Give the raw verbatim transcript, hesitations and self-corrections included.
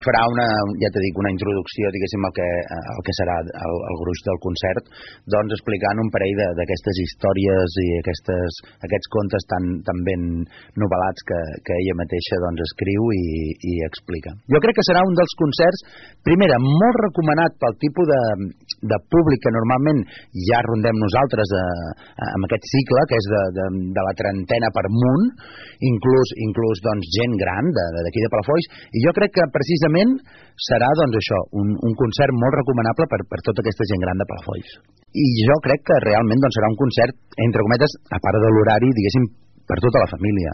Farà una, ja t'he dit, una introducció, diguéssim, al que, el que serà el, el gruix del concert, doncs explicant un parell d'aquestes històries i aquestes, aquests contes tan, tan ben novel·lats que, que ella mateixa doncs, escriu i, i explica. Jo crec que serà un dels concerts, primera, molt recomanat pel tipus de, de públic que normalment ja rondem nosaltres a, a, amb aquest cicle, que és de, de, de la trentena per munt, inclús, inclús doncs, gent gran d'aquí de, de Palafolls, i jo crec que precisament serà doncs això, un, un concert molt recomanable per, per tota aquesta gent gran de Palafolls. I jo crec que realment doncs, serà un concert, entre cometes, a part de l'horari, diguéssim, per tota la família.